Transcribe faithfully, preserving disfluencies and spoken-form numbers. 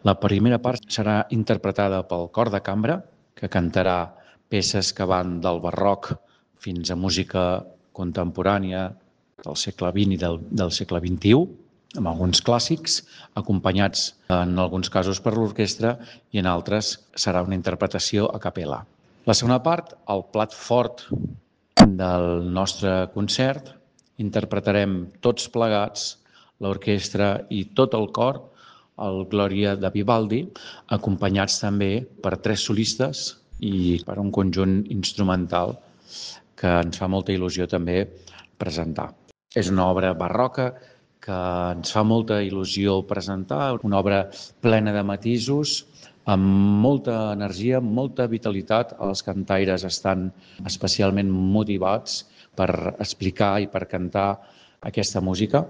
La primera part serà interpretada pel cor de cambra, que cantarà peces que van del barroc fins a música contemporània del segle vint i del, del segle vint-i-u, amb alguns clàssics, acompanyats en alguns casos per l'orquestra i en altres serà una interpretació a capella. La segona part, el plat fort del nostre concert, interpretarem tots plegats, l'orquestra i tot el cor, el Glòria de Vivaldi, acompanyats també per tres solistes i per un conjunt instrumental que ens fa molta il·lusió també presentar. És una obra barroca que ens fa molta il·lusió presentar, una obra plena de matisos, amb molta energia, molta vitalitat. Els cantaires estan especialment motivats per explicar i per cantar aquesta música.